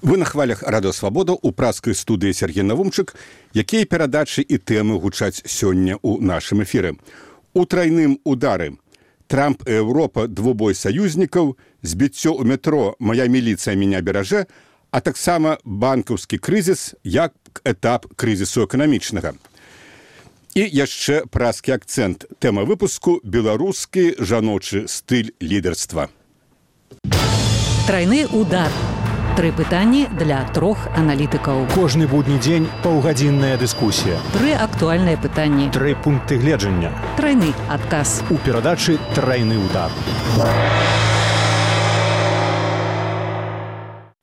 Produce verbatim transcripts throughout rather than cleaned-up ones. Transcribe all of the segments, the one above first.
Вы на хвалях Радыё Свабода ў праскай студыі Сергей Навумчык, якія перадачы і тэмы гучаць сёння ў нашым эфіры. У трайным удары. Трамп і Еўропа двубой саюзнікаў, збіццё ў метро «Моя міліцыя меня беражэ», а таксама банкаўскі крызіс як этап крызісу эканамічнага. І яшчэ праскі акцэнт. Тэма выпуску «Беларускі жаночы стыль лідарства». Трайны удар. Тры пытанні для трох аналітыкаў. Кожны будні дзень паўгадзінная дыскусія. Тры актуальныя пытанні. Тры пункты гледжання. Трайны адказ. У перадачы «Трайны удар».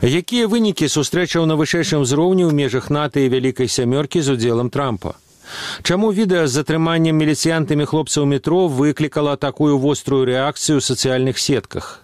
Якія вынікі сустрэчаў на вышэйшым узроўні ў межах НАТО і Вялікай сямёркі з удзелам Трампа? Чаму відэа з затрыманнем міліцыянтамі хлопцаў метро выклікала такую вострую рэакцыю ў сацыяльных сетках?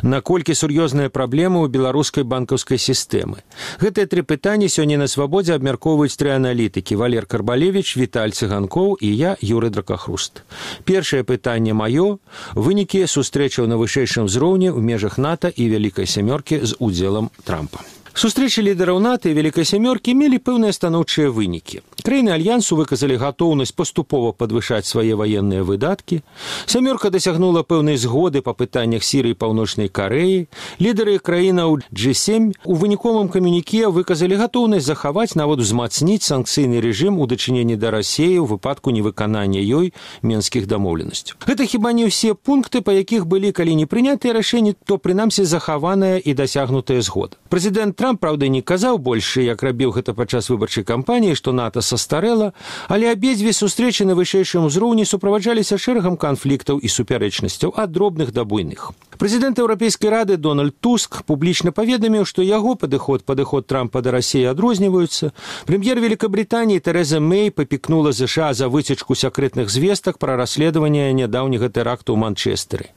Наколькі сур'ёзная праблема ў беларускай банкаўскай сістэмы? Гэтыя тры пытанні сёння на Свабодзе абмяркоўваюць тры аналітыкі: Валер Карбалевіч, Віталь Цыганкоў і я, Юры Дракахруст. Першае пытанне маё – вынікі сустрэчаў на вышэйшым узроўні ў межах НАТО і Вялікай сямёркі з удзелам Трампа. Сустрэчы лідараў НАТО і Вялікай сямёркі мелі пэўныя станоўчыя вынікі. Краіны альянсу выказалі гатоўнасць паступова падвышаць свае ваенныя выдаткі. Сямёрка дасягнула пэўнай згоды па пытаннях Сірыі і Паўночнай Карэі. Лідары краінаў джи сем у выніковым камюніке выказалі гатоўнасць захаваць, нават узмацніць санкцыйны рэжым у дачыненні да Расіі ў выпадку невыканання ёй менскіх дамоўленасцяў. Гэта хіба не ўсе пункты, па якіх былі, калі не прынятыя рашэнні, то прынамсі захаваная і дасягнутая згода. Прэзідэнт Трамп, праўда, не казаў больш, як рабіў гэта падчас выбарчай кампаніі, што НАТО састарэла, але абедзве сустрэчы на вышэйшым узроўні суправаджаліся шэрагам канфліктаў і супярэчнасцяў ад дробных да буйных. Прэзідэнт Еўрапейскай рады Дональд Туск публічна паведаміў, што яго падыход падыход Трампа да Расіі адрозніваюцца. Прэм'ер Великабританіі Тэрэза Мэй папікнула ЗША за выцечку сакрэтных звестак пра расследаванне нядаўняга тэракту ў Манчестэры.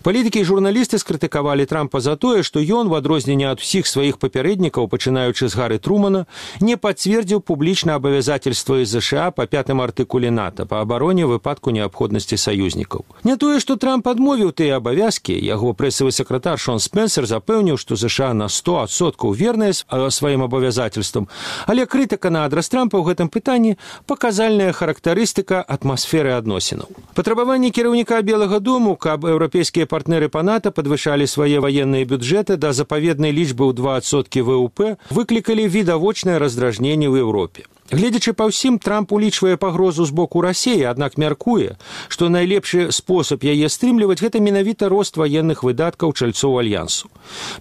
Палітыкі і журналісты скрытыкавалі Трампа за тое, што ён, у адрозненне ад усіх сваіх папярэднікаў, пачынаючы з Гары Трумана, не пацвердзіў публічна абавязательствы ЗША па пятым артыкуле НАТО па абароне ў выпадку неабходнасці саюзнікаў. Не тое, што Трамп адмовіў тыя абавязкі, яго прэсавы сакратар Шон Спенсер запэўніў, што ЗША на сто адсоткаў верныя сваім абавязательствам, але крытыка на адрас Трампа ў гэтым пытанні паказальная характарыстыка атмасферы адносінаў. Патрабаванні кіраўніка Белага дому, каб еўрапейскія партнеры па НАТО падвышалі свае ваенныя бюджэты да запаведнай лічбы ў два адсоткі ВВП, выклікалі відавочнае раздражненне ў Еўропе. Гледзячы па ўсім, Трамп улічвае пагрозу з боку Расіі, аднак мяркуе, што найлепшы спосаб яе стрымліваць – гэта менавіта рост ваенных выдаткаў чальцоў альянсу.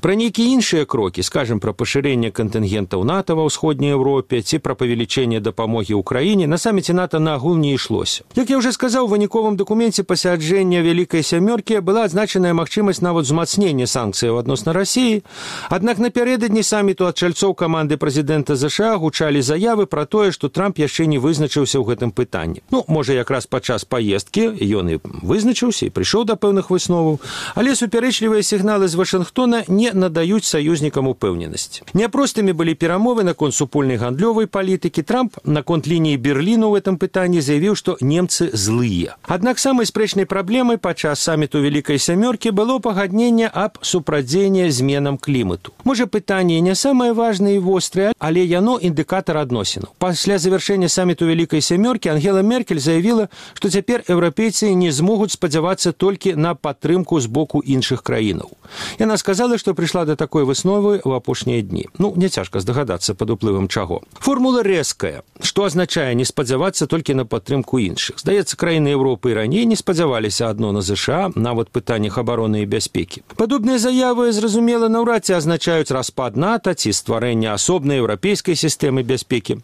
Пра нейкія іншыя крокі, скажам, пра пашырэнне кантынгентаў НАТО ва ўсходняй Еўропе ці пра павелічэнне дапамогі ўкраіне, на саміце НАТО нагул не ішлося. Як я ўжо сказаў, у выніковым дакуменце пасяджэння Вялікай сямёркі была адзначаная магчымасць нават узмацнення санкцыяў адносна Расіі, аднак напярэдадні саміту ад чальцоў каманды прэзідэнта ЗША гучалі заявы пра тое, што Трамп яшчэ не вызначыўся ў гэтым пытанні. Ну, можа, якраз падчас паездкі ён і вызначыўся і прыйшоў да пэўных высноваў, але супярэчлівыя сігналы з Вашынгтона не надаюць саюзнікам упэўненасці. Няпростымі былі перамовы наконт супольнай гандлёвай палітыкі. Трамп наконт лініі Берліну ў гэтым пытанні заявіў, што немцы злыя. Аднак самай спрэчнай праблемай падчас саміту Вялікай сямёркі было пагадненне аб супрацьдзеянні зменам клімату. Можа, пытанне не самае важнае і вострае, але яно індыкатар адносінаў. Пасля завяршэння саміту Вялікай сямёркі Ангела Меркель заявіла, што цяпер еўрапейцы не змогуць спадзявацца толькі на падтрымку з боку іншых краінаў. Яна сказала, што прыйшла да такой высновы ў апошнія дні. Ну, не цяжка здагадацца, пад уплывам чаго. Формула рэзкая, што азначае не спадзявацца толькі на падтрымку іншых. Здаецца, краіны Еўропы і раней не спадзяваліся адно на ЗША, нават пытаннях абароны і бяспекі. Падобныя заявы, зразумела, наўрад ці азначаюць распад НАТО ці стварэнне асобнай еўрапейскай сістэмы бяспекі.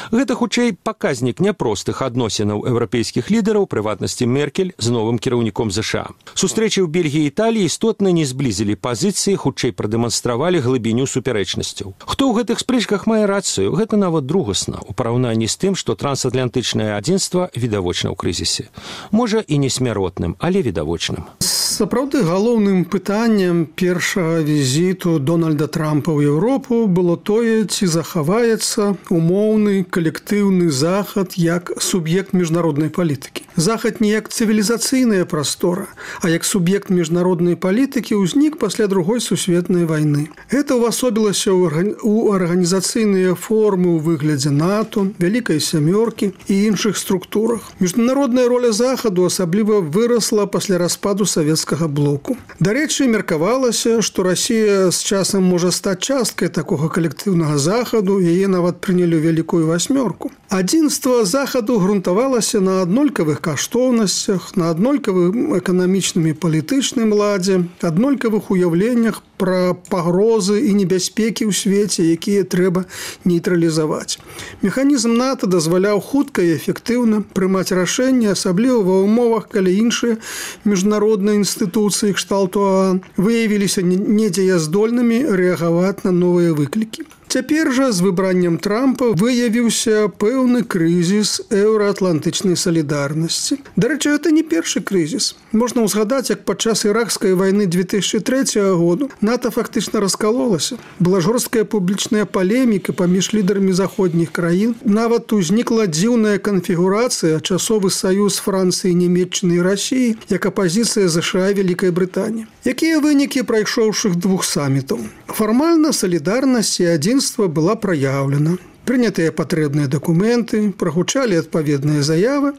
Гэта, хутчэй, паказнік няпростых адносінаў еўрапейскіх лідараў, прыватнасці Меркель з новым кіраўніком ЗША. Сустрэчы ў Бельгіі і Італіі істотна не зблізілі пазіцыі, хутчэй прадэманстравалі глыбіню супярэчнасцяў. Хто ў гэтых спрэчках мае рацыю, гэта нават другасна ў параўнанні з тым, што трансатлантычнае адзінства відавочна ў крызісе. Можа, і не смяротным, але відавочным. Сапраўды, галоўным пытаннем першага візіту Дональда Трампа ў Еўропу было тое, ці захаваецца умоўны калектыўны захад як суб'ект міжнароднай палітыкі. Захад не як цывілізацыйная прастора, а як суб'ект міжнароднай палітыкі ўзнік пасля другой сусветнай вайны. Гэта ўвасобілася ў арганізацыйныя формы ў выглядзе НАТО, вялікай сямёркі і іншых структурах. Міжнародная роля Захаду асабліва вырасла пасля распаду савецкага блоку. Дарэчы, меркавалася, што Расія з часам можа стаць часткай такога калектыўнага Захаду, яе нават прынялі ў вялікую васьмёрку. Адзінства Захаду грунтавалася на аднолькавых каштоўнасцях, на аднолькавым эканамічным і палітычным ладзе, аднолькавых уяўленнях пра пагрозы і небяспекі ў свеце, якія трэба нейтралізаваць. Механізм НАТО дазваляў хутка і эфектыўна прымаць рашэнні, асабліва ва ўмовах, калі іншыя міжнародныя інстытуцыі кшталту ААН выявіліся недзеяздольнымі рэагаваць на новыя выклікі. Цяпер жа з выбраннем Трампа выявіўся пэўны крызіс еўраатлантычнай салідарнасці. Дарэчы, гэта не першы крызіс. Можна ўзгадаць, як падчас іракскай вайны две тысячы трэцяга году НАТО фактычна раскалолася. Была жорсткая публічная палеміка паміж лідарамі заходніх краін. Нават узнікла дзіўная канфігурацыя, часовы саюз Францыі, Нямецчыны і Расіі, як апазіцыя ЗША і Вялікай Брытаніі. Якія вынікі прайшоўшых двух самітаў? Фармальна салідарнасць і адзінства была праяўлена. Прынятыя патрэбныя дакументы, прагучалі адпаведныя заявы,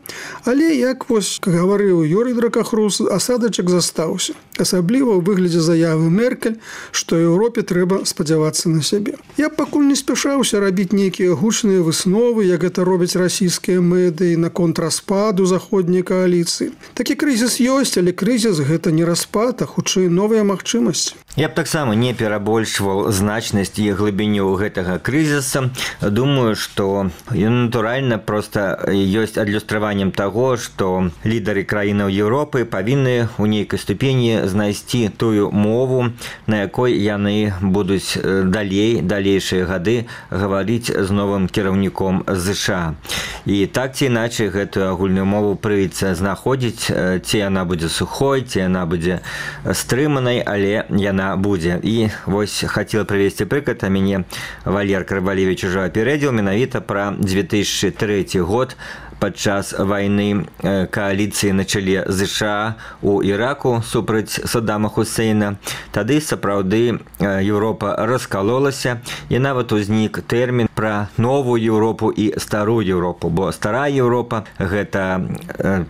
але, як вось гаварыў Юрый Дракахрус, асадачак застаўся. Асабліва ў выглядзе заявы Меркель, што Еўропе трэба спадзявацца на сябе. Я пакуль не спяшаўся рабіць нейкія гучныя высновы, як гэта робяць расійскія медыі наконт распаду заходняй кааліцыі. Такі крызіс ёсць, але крызіс гэта не распад, а хутчэй новыя магчымасці. Я б таксама не перабольшваў значнасць і глыбіню гэтага крызіса. Думаю, што натуральна проста ёсць адлюстраваннем таго, што лідары краінаў Еўропы павінны ў нейкай ступені знайсці тую мову, на якой яны будуць далей, далейшыя гады гаварыць з новым кіраўніком ЗША. І так ці іначай гэтую агульную мову прыйдзецца знаходзіць, ці яна будзе сухой, ці яна будзе стрыманай, але яна будзе. І вось хацела прывесці прыклад, а мяне Валер Карвалевіч ужо апередзіў менавіта пра две тысячы трэці год, падчас вайны кааліцыі на чале ЗША у Іраку супраць Саддама Хусейна. Тады сапраўды Еўропа раскалолася, і нават узнік тэрмін пра новую Еўропу і старую Еўропу, бо старая Еўропа – гэта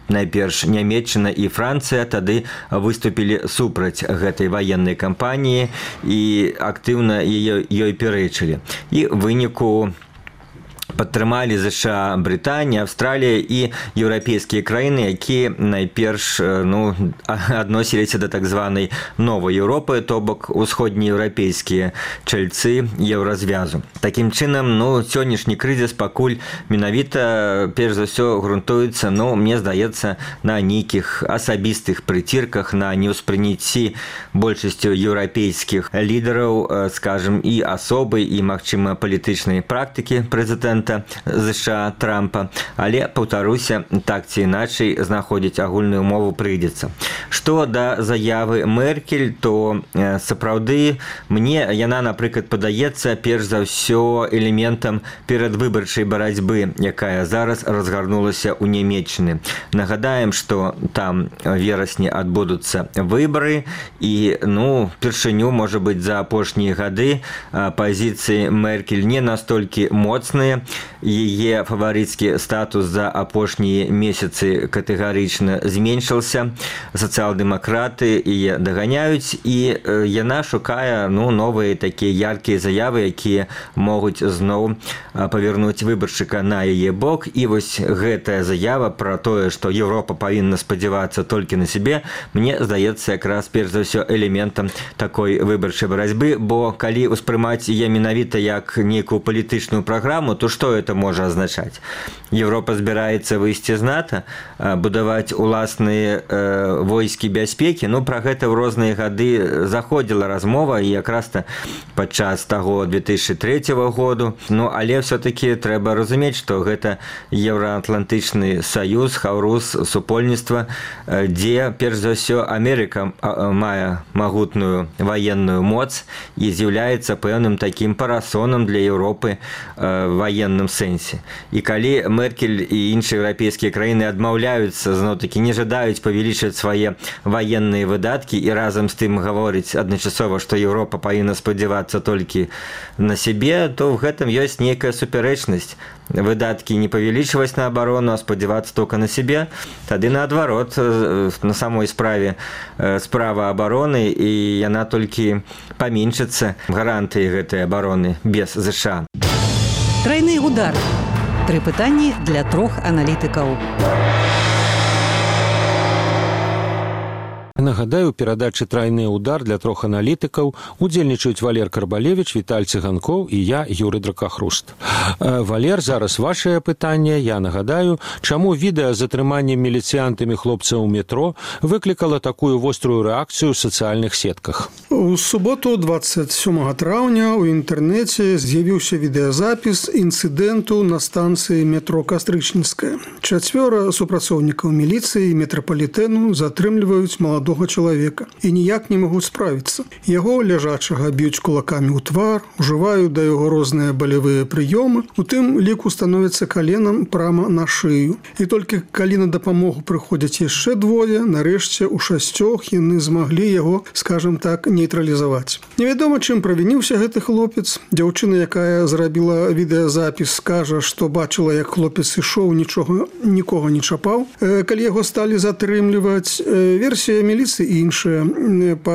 найперш Нямецчына і Францыя тады выступілі супраць гэтай ваеннай кампаніі і актыўна ёй пярэчылі. І ў выніку падтрымалі ЗША, Брытанія, Аўстралія і еўрапейскія краіны, якія найперш ну, адносіліся да так званай новай Еўропы, то бок усходнееўрапейскія чальцы еўразвязу. Такім чынам, ну, сённяшні крызіс пакуль менавіта перш за ўсё грунтуецца, ну, мне здаецца, на нейкіх асабістых прыцірках, на неўспрыняцці большасцю еўрапейскіх лідараў, скажем, і асобы, і, магчыма, палітычнай практыкі прэзідэнта ЗША Трампа, але, паўтаруся, так ці іначай знаходзіць агульную мову прыйдзецца. Што да заявы Меркель, то сапраўды мне яна, напрыклад, падаецца перш за ўсё элементам перадвыбарчай барацьбы, якая зараз разгарнулася ў Нямецчыны. Нагадаем, што там верасні адбудуцца выбары, і, ну, першыню, можа быць, за апошнія гады пазіцыі Меркель не настолькі моцныя, яе фаварыцкі статус за апошнія месяцы катэгарычна зменшыўся, сацыял-дэмакраты яе даганяюць, і яна шукае ну, новыя такія яркія заявы, якія могуць зноў павярнуць выбаршчыка на яе бок. І вось гэтая заява пра тое, што Еўропа павінна спадзявацца толькі на сябе, мне здаецца якраз перш за ўсё элементам такой выбарчай барацьбы, бо калі ўспрымаць яе менавіта як нейкую палітычную праграму, то што это можа азначаць? Еўропа збіраецца выйсці з НАТО, будаваць уласныя э, войскі бяспекі. Ну, пра гэта ў розныя гады заходзіла размова, і якраз-то падчас таго две тысячы трэцяга году. Ну, але все-таки трэба разумець, што гэта еўраатлантычны саюз, хаўрус, супольніцтва, дзе, перш за ўсё, Амерыка мае магутную ваенную моц і з'яўляецца пэўным такім парасонам для Еўропы э, ваеннай военным сэнсе. І калі Меркель і іншыя еўрапейскія краіны адмаўляюцца, зноў-такі не жадаюць павялічваць свае военные выдаткі і разам з тым гаворыць адначасова, што Еўропа павінна спадзявацца толькі на сябе, то в гэтым ёсць нейкая супярэчнасць. Выдаткі не павялічваць на абарону, а спадзявацца только на сябе, тады наадварот, на самой справе справа абароны, і яна толькі паменшыцца, гарантыі гэтай абароны без ЗША. Трайны удар. Тры пытанні для трох аналітыкаў. Нагадаю, у перадачы «Трайны удар» для трох аналітыкаў удзельнічаюць Валер Карбалевіч, Віталь Цыганкоў і я, Юрый Дракахруст. Валер, зараз вашае пытанне. Я нагадаю, чаму відэа з затрыманнем міліцыянтамі хлопцаў у метро выклікала такую вострую рэакцыю ў сацыяльных сетках? У суботу двадцать сёмага траўня ў інтэрнэце з'явіўся відэазапіс інцыдэнту на станцыі метро Кастрычніцкая. Чацвёра супрацоўнікаў міліцыі і метрапалітэну затрымліваюць маладога чалавека і ніяк не могуць справіцца. Яго ляжачага б'юць кулакамі ў твар, ужываюць да яго розныя балевыя прыёмы, у тым ліку становіцца каленам прама на шыю. І толькі калі на дапамогу прыходзяць яшчэ двое, нарэшце ў шасцёх яны змаглі яго, скажам так, нейтралізаваць. Невядома, чым правініўся гэты хлопец. Дзяўчына, якая зрабіла відэазапіс, скажа, што бачыла, як хлопец ішоў, нічога, нікога не чапаў. Калі яго сталі затрымліваць, версія міліцыі іншая. Па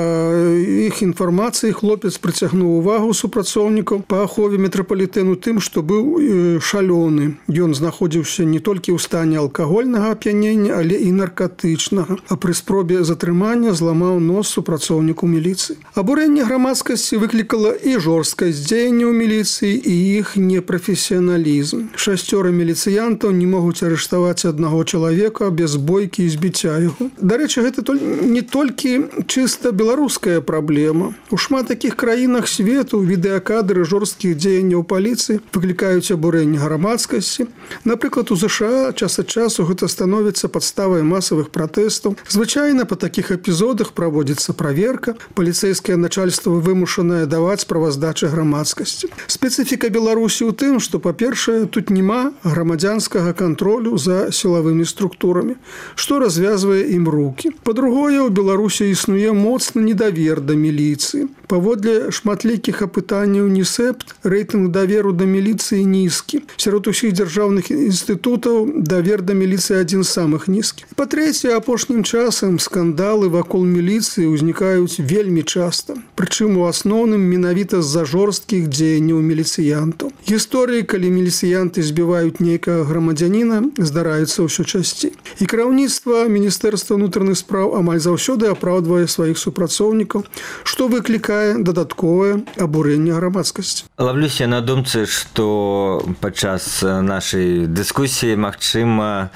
іх інфармацыі хлопец прыцягнуў увагу супрацоўнікаў па ахове метрапалітэну тым, што быў шалёны. Ён знаходзіўся не толькі ў стане алкагольнага ап'янення, але і наркатычнага. А пры спробе затрымання зламаў нос супрацоўніку міліцыі. Абурэнне грамадскасці выклікала і жорсткасць дзеянняў міліцыі, і іх непрафесіяналізм. Шасцёра міліцыянтаў не могуць арыштаваць аднаго чалавека без бойкі і збіцця яго. Дарэчы, гэта не толькі чыста беларуская праблема. У шмат такіх краінах свету відэакадры жорсткіх дзеянняў паліцыі выклікаюць абурэнне грамадскасці. Напрыклад, у ЗША час ад часу гэта становіцца падставай масавых пратэстаў. Звычайна па такіх эпізодах праводзіцца праверка, паліцэйскае начальства вымушанае даваць справаздачы грамадскасці. Спецыфіка Беларусі ў тым, што, па-першае, тут няма грамадзянскага кантролю за сілавымі структурамі, што развязвае ім рукі. Па-другое, у Беларусі існуе моцны недавер да міліцыі. Паводле шматлікіх апытанняў НІСЭПТ рэйтынг даверу да міліцыі нізкі. Сярод усіх дзяржаўных інстытутаў давер да міліцыі адзін з самых нізкіх. Па-трэцяе, апошнім часам скандалы вакол міліцыі ўзнікаюць вельмі часта. Прычым у асноўным менавіта з-за жорсткіх дзеянняў міліцыянтаў. Гісторыі, калі міліцыянты збіваюць нейкага грамадзяніна, здараюцца ўсё часцей. І кіраўніцтва Міністэрства ўнутраных спраў амаль заўсёды апраўдвае сваіх супрацоўнікаў, што выклікае дадатковае абурэнне грамадскасці. Ловлюся на думцы, што падчас нашай дыскусіі, магчыма,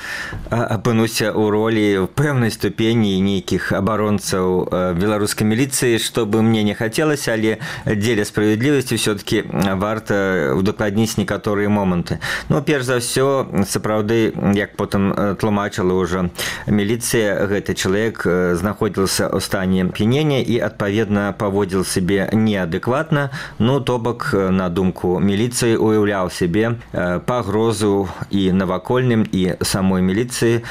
апынуся ў ролі в пэўнай ступені нейкіх абаронцаў беларускай міліцыі, што бы мне не хацелася, але дзеля справядлівасці ўсё-таки варта удакладніць некаторыя моманты. Ну, перш за ўсё, сапраўды, як потым тлумачыла ўжо міліцыя, гэты чалавек знаходзіўся ў стане ап'янення і, адпаведна, паводзіў сябе неадэкватна, ну, то бок, на думку міліцыі, уяўляў сябе пагрозу і навакольным, і самой міліцыі,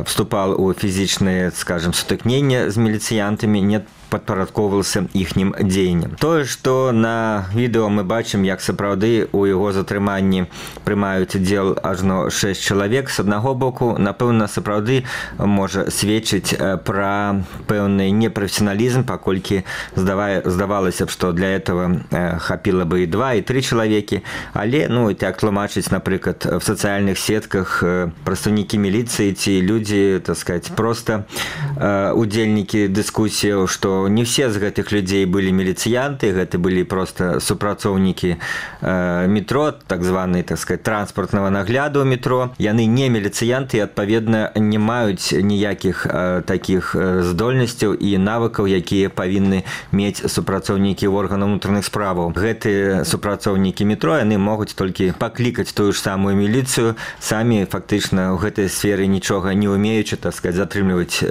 вступал у фізічныя, скажем, сутыкнення з міліцыянтамі, не падпарадковваўся іхнім дзеянням. Тое, што на відэо мы бачым, як сапраўды у яго затрыманні прымаюць удзел ажно шэсць чалавек, з аднаго боку, напэўна, сапраўды можа сведчыць пра пэўны непрафесіяналізм, паколькі здавалася б, што для этого хапіла бы і два, і тры чалавекі, але, ну, і так тлумачыць, напрыклад, в сацыяльных сетках прадстаўнікі міліцыі ці людзі, так сказаць, проста удзельнікі дыскусіяў, што не все з гэтых людзей былі міліцыянты, гэта былі проста супрацоўнікі метро, так званы, так сказать, транспартнага нагляду метро. Яны не міліцыянты і, адпаведна, не маюць ніякіх такіх здольнасцяў і навыкаў, якія павінны мець супрацоўнікі органаў унутраных справаў. Гэтыя супрацоўнікі метро, яны могуць толькі паклікаць тую ж самую міліцыю, самі фактычна ў гэтай сферы нічога не умеючы, так сказать, затрымліваць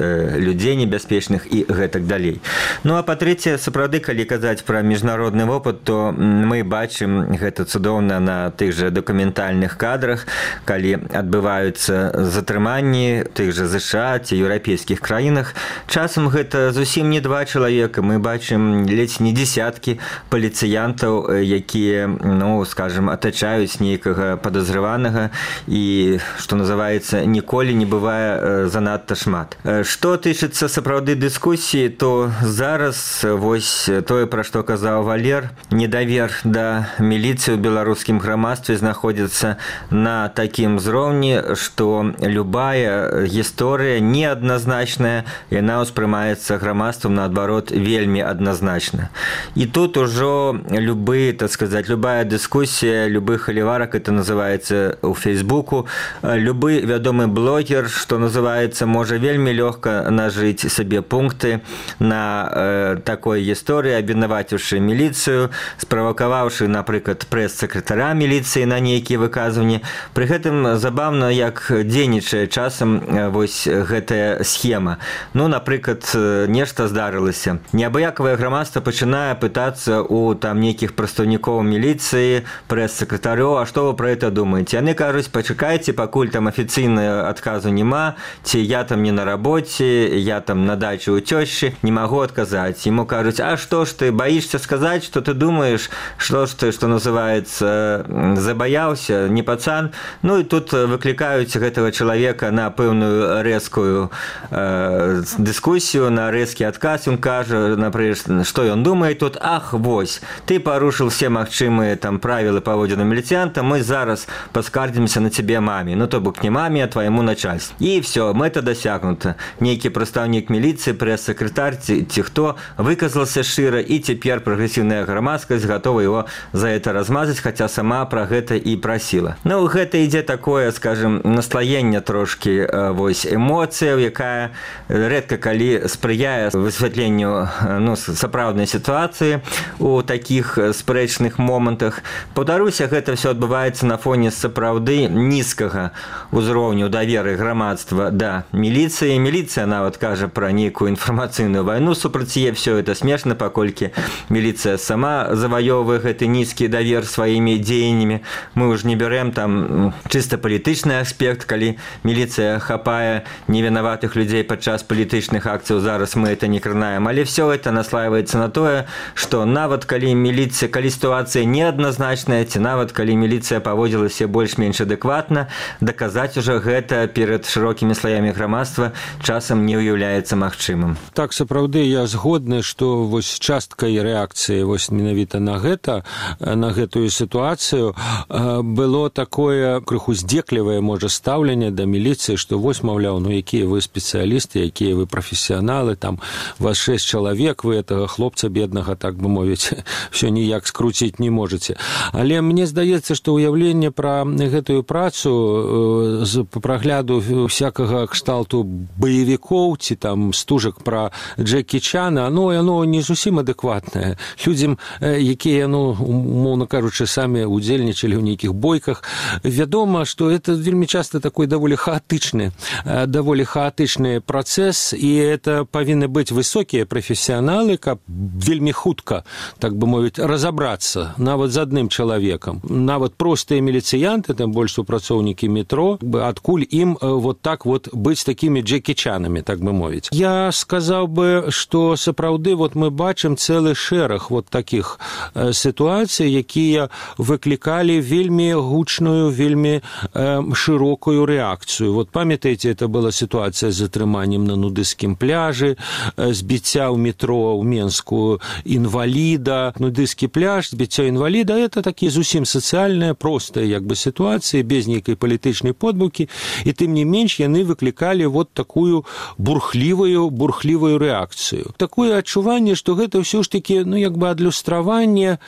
людзей небяспечных і гэтак далей. Ну а па-трэцяе, сапраўды, калі казаць пра міжнародны вопыт, то мы бачым гэта цудоўна на тых жа дакументальных кадрах, калі адбываюцца затрыманні тых жа ЗША ці еўрапейскіх краінах. Часам гэта зусім не два чалавека, мы бачым ледзь не десяткі паліцыянтаў, якія, ну, скажем, атачаюць нейкага падазрыванага і, што называецца, ніколі не бывае занадта шмат. Што тычыцца сапраўды дыскусіі, то зараз вось тое, пра што казаў Валер, недавер да міліцыі ў беларускім грамадстве знаходзіцца на такім узроўні, што любая гісторыя неадназначная, яна ўспрымаецца грамадствам, наадварот, вельмі адназначна. І тут ужо любы, так сказаць, любая дыскусія, любы халіварак, это называецца ў Фейсбуку, любы вядомы блогер, што называецца, можа вельмі лёгка нажыць сабе пункты на э, такой гісторыі, абвінаваціўшы міліцыю, справакаваўшы, напрыклад, прэс-сакратара міліцыі на нейкія выказванні. Пры гэтым забавна, як дзейнічае часам вось гэтая схема. Ну, напрыклад, нешта здарылася. Неабыякавае грамадства пачынае пытацца у там нейкіх прадстаўнікоў міліцыі, прэс-сакратароў, а што вы пра гэта думаеце? Яны кажуць, пачакайце, пакуль там афіцыйнага адказу няма, ці я там не на рабоце, я там на даче у тёщи, не могу отказать. Ему кажут, а что ж ты, боишься сказать, что ты думаешь, что ж ты, что называется, забоялся, не пацан. Ну и тут выкликают этого человека на пэўную резкую э, дискуссию, на резкий отказ. Он кажет, например, что он думает тут, ах, вось, ты порушил все магчымыя там правила поводзіны міліцыянта, мы зараз поскардзімся на тебе маме, ну то бок не маме, а твоему начальству. И все, мэта дасягнута. Нейкі прадстаўнік міліцыі, прэс-сакратар ці, ці хто выказался шчыра, і цяпер прагрэсіўная грамадскасць гатова его за это размазаць, хаця сама пра гэта і прасіла. Ну, гэта ідзе такое, скажем, наслаенне трошкі вось эмоцыяў, якая рэдка калі спрыяе высвятленню, ну, сапраўднай сітуацыі у такіх спрэчных момантах. Паўтаруся, гэта все адбываецца на фоне сапраўды нізкага ўзроўню даверы грамадства да міліцыі. Міліцыя нават кажа пра нейкую інфармацыйную вайну супраць яе. Все это смешна, паколькі міліцыя сама заваёўвае гэты нізкі давер сваімі дзеяннямі. Мы ўжо не бярэм там чыста палітычны аспект, калі міліцыя хапае невінаватых людзей падчас палітычных акцыяў. Зараз мы это не кранаем, але все это наслаиваецца на тое, што нават калі міліцыя, калі сітуацыя неадназначная, ці нават калі міліцыя паводзілася больш-менш адэкватна, даказаць ужо гэта перад шырокімі слаямі грамадства часам не ўяўляецца магчымым. Так, сапраўды, я згодны, што вось часткай рэакцыі вось менавіта на гэта, на гэтую сітуацыю было такое крыху здзеклівае, можа, стаўленне да міліцыі, што вось, маўляў, ну якія вы спецыялісты, якія вы прафесіяналы, там вас шэсць чалавек, вы гэтага хлопца беднага, так бы мовіць, все ніяк скруціць не можаце. Але мне здаецца, што ўяўленне пра гэтую працу з прагляду всякага кшталту баевікоў ці там стужак пра Джекі Чана, ну, яно не зусім адэкватнае. Людзям, якія, ну, умоўна кажучы, самі удзельнічалі ў нейкіх бойках, вядома, што это вельмі часта такой даволі хаатычны, даволі хаатычны працэс, і это павінны быць высокія прафесіяналы, каб вельмі хутка, так бы мовіць, разабрацца нават з адным чалавекам. Нават простыя міліцыянты, тым больш супрацоўнікі метро, адкуль ім вот так вот быць такімі Джекі Чанамі, так бы мовіць. Я сказаў бы, што сапраўды вот мы бачым цэлы шэраг вот такіх сітуацый, якія выклікалі вельмі гучную, вельмі э, шырокую рэакцыю. Вот памятаеце, это была сітуацыя з затрыманнем на нудысцкім пляжы, збіцця ў метро ў Менску інваліда. Нудысцкі пляж, збіццё інваліда, это такія зусім сацыяльныя, простыя як бы сітуацыі, без нейкай палітычнай подбукі, і тым не менш яны выклікалі вот такую бурхлівую, бурхлівую рэакцыю. Такое адчуванне, што гэта ўсё ж такі, ну, як бы адлюстраванне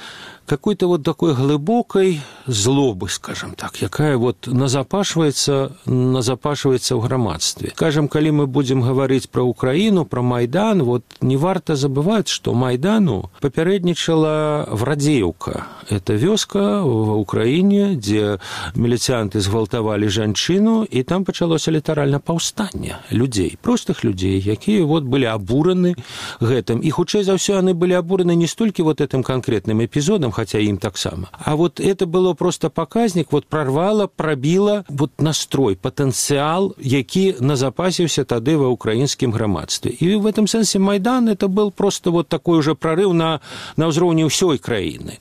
какой-то вот такой глубокой злобы, скажем так, якая вот назапашваецца, назапашваецца ў грамадстве. Скажем, калі мы будем говорить про Украину, про Майдан, вот не варто забывать, что Майдану попередничала Врадеевка. Это вёска в Украине, где милицианты згвалтавалі жанчыну, и там пачалося літаральна паўстанне людей, простых людей, якія вот были обураны гэтым. И хутчэй за ўсё яны были обураны не столькі вот этим конкретным эпизодом, хотя им таксама, а вот это было просто показник, вот прорвало, пробило вот настрой, потенциал, які назапасіўся тады ва украинскім грамадстве. И в этом сенсе Майдан это был просто вот такой уже прорыв на, на ўзроўні ўсёй краіны.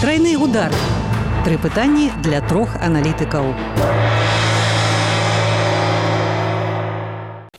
Тройны удар. Тры пытанні для трох аналітыкаў.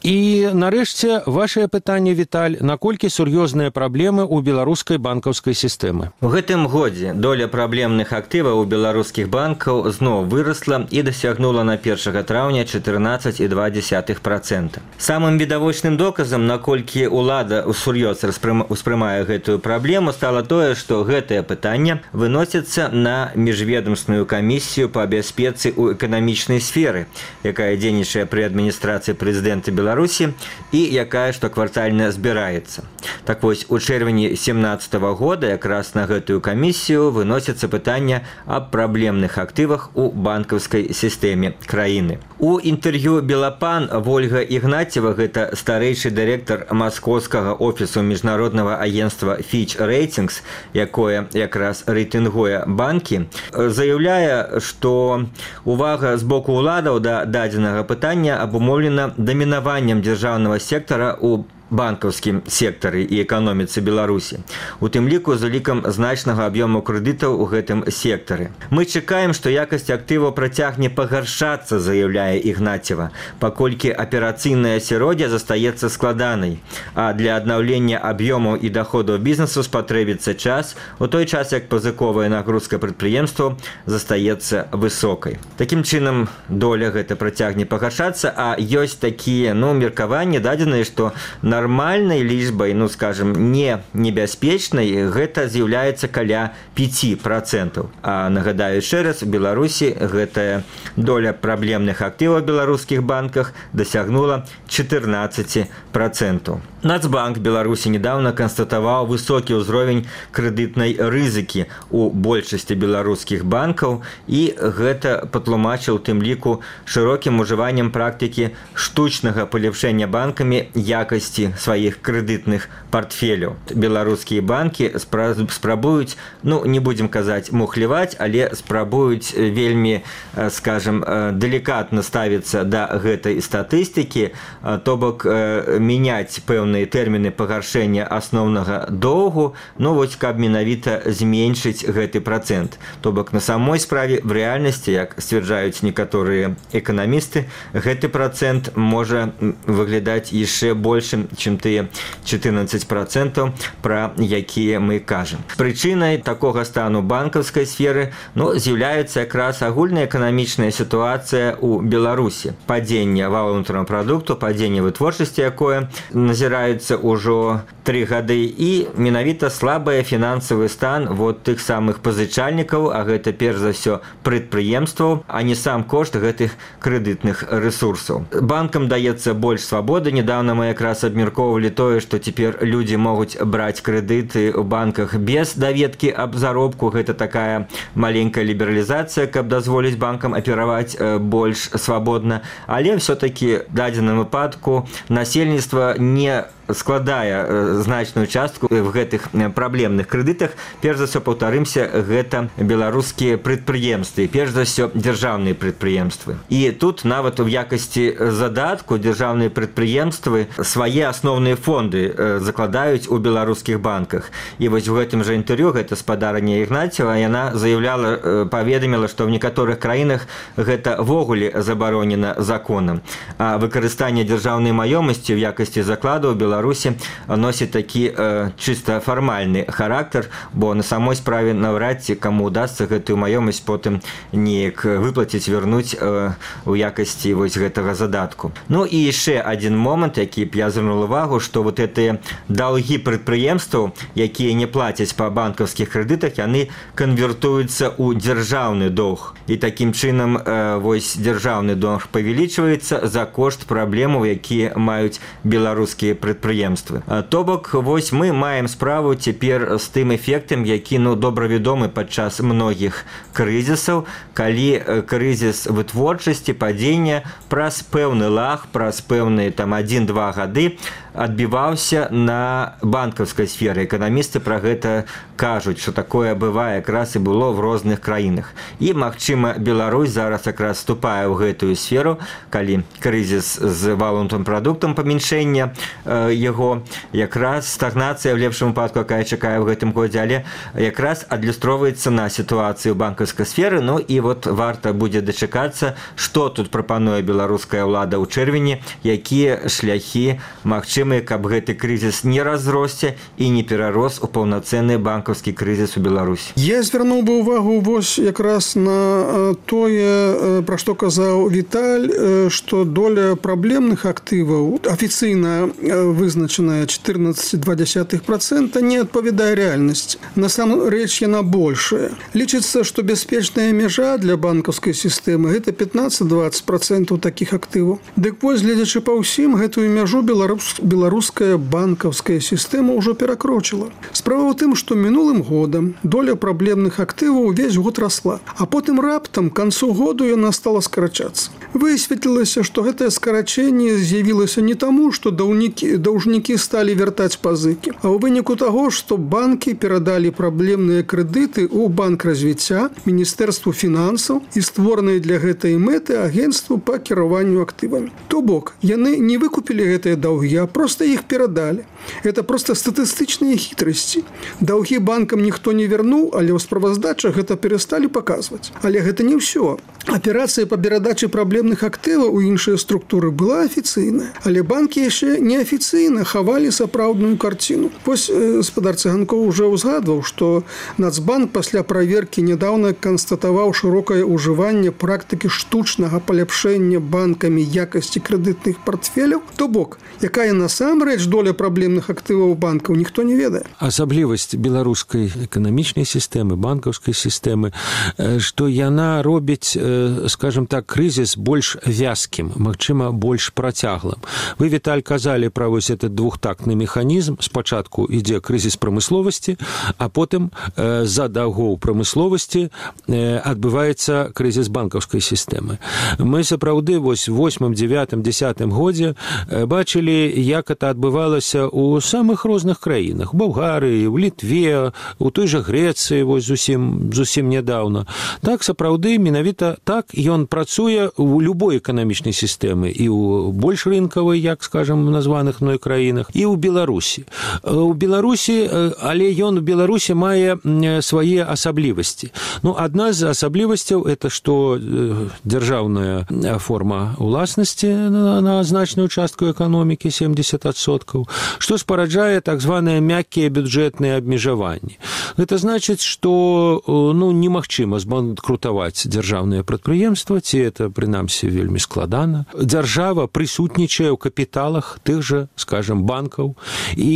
І, нарэшце, вашае пытанне, Віталь, наколькі сур'ёзныя праблемы ў беларускай банкаўскай сістэмы? У гэтым годзе доля праблемных актываў у беларускіх банкаў зноў вырасла і дасягнула на першага траўня чатырнаццаць і два дзесятых працэнта. Самым відавочным доказам, наколькі ўлада усур'ёз успрымае гэтую праблему, стала тое, што гэтае пытанне выносіцца на міжведамсную камісію па бяспецы ў эканамічнай сферы, якая дзейнічае пры адміністрацыі прэзідэнта Беларусі і якая штоквартальна збіраецца. Так вось, у чэрвені семнаццатага года якраз на гэтую камісію выносіцца пытанне аб праблемных актывах у банкаўскай сістэме краіны. У інтэрв'ю «Белапан» Вольга Ігнацева, гэта старэйшы дырэктар маскоўскага офісу міжнароднага агентства Fitch Ratings, якое якраз рэйтынгуе банкі, заяўляе, што увага з боку ўладаў да дадзенага пытання абумоўлена дамінаваннем дзяржаўнага сектара у банкаўскім сектары і эканоміцы Беларусі, у тым ліку з улікам значнага аб'ёму крэдытаў у гэтым сектары. Мы чакаем, што якасць актываў працягне пагаршацца, заяўляе Ігнацева, паколькі аперацыйнае асяроддзе застаецца складанай, а для аднаўлення аб'ёмаў і даходаў бізнесу спатрэбіцца час, у той час як пазыковая нагрузка прадпрыемстваў застаецца высокай. Такім чынам, доля гэта працягне пагаршацца, а ёсць такія, ну, меркаванні дадзеныя, што на нармальнай лічбай, ну, скажем, не небяспечнай, гэта з'яўляецца каля пяць працэнтаў. А нагадаю яшчэ раз, у Беларусі гэтая доля праблемных актываў у беларускіх банках дасягнула чатырнаццаць працэнтаў. Нацбанк Беларусі недавно канстатаваў высокі ўзровень крэдытнай рызыкі у большасці беларускіх банкаў, і гэта патлумачыў тым ліку шырокім ужываннем практыкі штучнага палепшэння банкамі якасці сваіх крэдытных портфеляў. Беларускія банкі спрабуюць, ну, не будзем казаць мухляваць, але спрабуюць вельмі, скажем, далікатна ставіцца да гэтай статыстыкі, то бок мяняць пэўныя тэрміны пагаршэння асноўнага доўгу, ну, вось, каб менавіта зменшыць гэты працэнт. То бок на самой справе в рэальнасці, як сцвярджаюць некаторыя эканамісты, гэты працэнт можа выглядаць яшчэ большым, чым тыя чатырнаццаць працэнтаў, пра якія мы кажам. Прычынай такога стану банкаўскай сферы, ну, з'яўляецца якраз агульная эканамічная сітуацыя ў Беларусі. Падзенне валовага ўнутранага прадукту, падзенне вытворчасці, якое назіраецца ўжо тры гады, і менавіта слабы фінансавы стан вот тых самых пазычальнікаў, а гэта перш за ўсё прадпрыемстваў, а не сам кошт гэтых крэдытных рэсурсаў. Банкам даецца больш свабоды. Недавно мы якраз абмяркоўвалі тое, што цяпер людзі могуць браць крэдыты ў банках без даведкі аб заробку. Гэта такая маленькая лібералізацыя, каб дазволіць банкам апераваць больш свабодна. Але ўсё-такі в дадзеным выпадку насельніцтва не складае значную частку в гэтых праблемных крэдытах. Перш за ўсё, паўтарымся, гэта беларускія прадпрыемствы, перш за ўсё дзяржаўныя прадпрыемствы. І тут нават у якасці задатку дзяржаўныя прадпрыемствы свае асноўныя фонды закладаюць у беларускіх банках. І вось у гэтым жа інтэрв'ю гэта спадарня Ігнацева, яна заяўляла, паведаміла, што ў некаторых краінах гэта ввогуле забаронена законам. А выкарыстанне дзяржаўнай маёмасці ў якасці закладу ў Беларусі носіць такі э, чыста фармальны характар, бо на самой справе наўрад ці каму удасца гэтую маёмасць потым неяк выплаціць, вярнуць э, у якасці вось гэтага задатку. Ну і яшчэ адзін момант, які б я звярнуў увагу, што вот гэтыя даўгі прадпрыемстваў, якія не плацяць па банкаўскіх крэдытах, яны канвертуюцца ў дзяржаўны доўг. І такім чынам э, вось дзяржаўны доўг павялічваецца за кошт праблемаў, якія маюць беларускія прадпрыемствы. То бок, вось мы маем справу цяпер з тым эфектам, які ну, добра вядомы падчас многіх крызісаў, калі крызіс вытворчасці, падзення праз пэўны лаг, праз пэўныя там адзін-два гады адбіваўся на банкаўскай сферы. Эканамісты пра гэта кажуць, што такое бывае якраз і было в розных краінах. І, магчыма, Беларусь зараз якраз вступае ў гэтую сферу, калі крызіс з валовым прадуктам памяншэння э, яго, якраз стагнацыя в лепшым выпадку, якая чакае ў гэтым годзе, але якраз адлюстроўваецца на сітуацыю банкаўскай сферы. Ну і вот варта будзе дачакацца, што тут прапануе беларуская ўлада ў чэрвені, якія шляхі магчымыя, каб гэты крызіс не разросся і не перарос у паўнацэнны банкаўскі крызіс у Беларусі. Я звярнуў бы ўвагу вось якраз на тое, пра што казаў Віталь, што доля праблемных актываў, афіцыйна вызначаная чатырнаццаць цэлых две дзесятых працэнта, не адпавядае рэальнасці. Насамрэч яна большая. Лічыцца, што бяспечная мяжа для банкаўскай сістэмы гэта пятнаццаць-дваццаць працэнтаў такіх актываў. Дык вось, гледзячы па ўсім, гэтую мяжу беларус беларуская банкаўская сістэма ўжо перакрочыла. Справа ў тым, што мінулым годам доля праблемных актываў увесь год расла, а потым раптам к канцу году яна стала скарачацца. Высветлілася, што гэтае скарачэнне з'явілася не таму, што даўнікі, даўжнікі сталі вяртаць пазыкі, а ў выніку таго, што банкі перадалі праблемныя крэдыты ў банк развіцця, Міністэрству фінансаў і створанай для гэтай мэты агенцтву па кіраванню актывамі. То бок, яны не выкупілі гэтыя даўгі, а просто іх перадалі. Это просто статыстычныя хітрасці. Даўгі банкам ніхто не вярнуў, але ў справаздачах гэта перасталі паказваць. Але гэта не ўсё. Аперацыя па перадачы праблемных актываў у іншыя структуры была афіцыйная, але банкі яшчэ неафіцыйна хавалі сапраўдную карціну. Вось гаспадар Цыганкоў уже ўзгадваў, што Нацбанк пасля праверкі нядаўна канстатаваў шырокае ўжыванне практыкі штучнага паляпшэння банкамі якасці крэдытных партфеляў. То бок, якая насамрэч доля праблемных актываў банкаў, ніхто не ведае. Асаблівасць беларускай эканамічнай сістэмы, банкаўскай сістэмы, што яна робіць, скажем так, крызіс больш вязкім, магчыма, больш працяглым. Вы, Віталь, казалі пра вось этот двухтактны механізм. Спачатку ідзе крызіс прамысловасці, а потым з-за даўгоў прамысловасці адбываецца крызіс банкаўскай сістэмы. Мы сапраўды вось восьмым, дзевятым, дзесятым годзе бачылі, як это адбывалася ў самых розных краінах. У Балгарыі, у Літве, у той жа Грэцыі, вось зусім, зусім нядаўна. Так, сапраўды, менавіта так ён працуе ў любой эканамічнай сістэмы, і ў больш рынкавай, як, скажам, названых мной краінах, і ў Беларусі. У Беларусі, але ён у Беларусі мае свае асаблівасці. Ну, адна з асаблівасцяў – это што дзяржаўная форма уласнасці на, на значную частку эканомікі, семьдесят адсоткаў, што спараджае так званыя мяккія бюджэтныя абмежаванні. Гэта значыць, што ну, немагчыма збанкрутаваць дзяржаўныя прадпрыемства, ці это, прынамсі, вельмі складана. Дзяржава прысутнічае ў капіталах тых жа, скажем, банкаў, і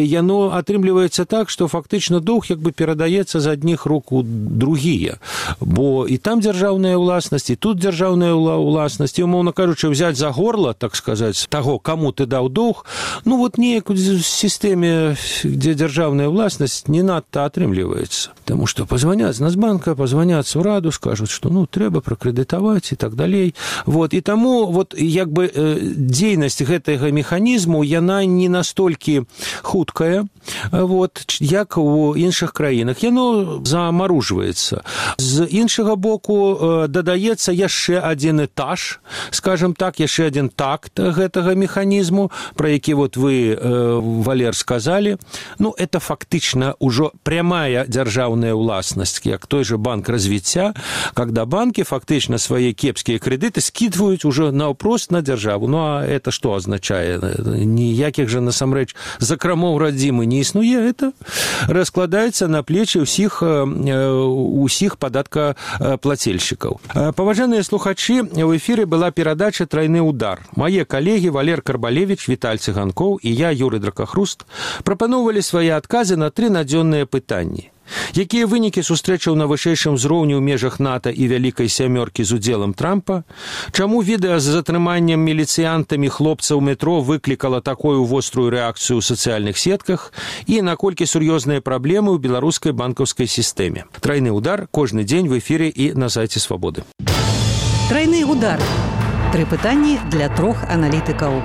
яно атрымліваецца так, што фактычна доўг як бы перадаецца з адних рук у другія, бо і там дзяржаўная ўласнасць, і тут дзяржаўная ўласнасць, і, умоўна кажучы, взять за горло, так сказаць, таго, каму ты даў доўг, ну вот неяк в сістэме, дзе дзяржаўная ўласнасць, не надта атрымліваецца. Таму што пазваняць з Нацбанка, пазваняць у раду, скажуць, што ну трэба пракрэдытаваць і так далей. Вот, і таму вот як бы дзейнасць гэтага механізму, яна не настолькі хуткая, вот, як у іншых краінах. Яно замаружваецца. З іншага боку дадаецца яшчэ адзін этаж, скажем так, яшчэ адзін такт гэтага механізму, пра які вот вы, Валер, сказалі. Ну, это фактычна ўжо прямая дзяржаўная ўласнасць, як той же банк развіцця, когда банки фактично свои кепские кредиты скидывают уже наўпрост на державу. Ну, а это что означает? ніякіх жа насамрэч закрамоў радзімы не існуе, это раскладаецца на плечы ўсіх усіх падаткаплацельшчыкаў. Паважаныя слухачы, у эфіры была перадача «Трайны удар». Мае калегі Валер Карбалевіч, Віталь Цыганкоў і я, Юрый Дракахруст, прапаноўвалі свае адказы на тры надзённыя пытанні. Якія вынікі сустрэчаў на вышэйшым узроўні ў межах НАТО і Вялікай сямёркі з удзелам Трампа? Чаму відэа з затрыманнем міліцыянтамі хлопцаў метро выклікала такую вострую рэакцыю ў сацыяльных сетках? І наколькі сур'ёзныя праблемы ў беларускай банкаўскай сістэме? Трайны удар кожны дзень в эфіры і на сайце Свабоды. Трайны удар. Тры пытанні для трох аналітыкаў.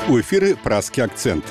У эфіры «Празкі акцэнт».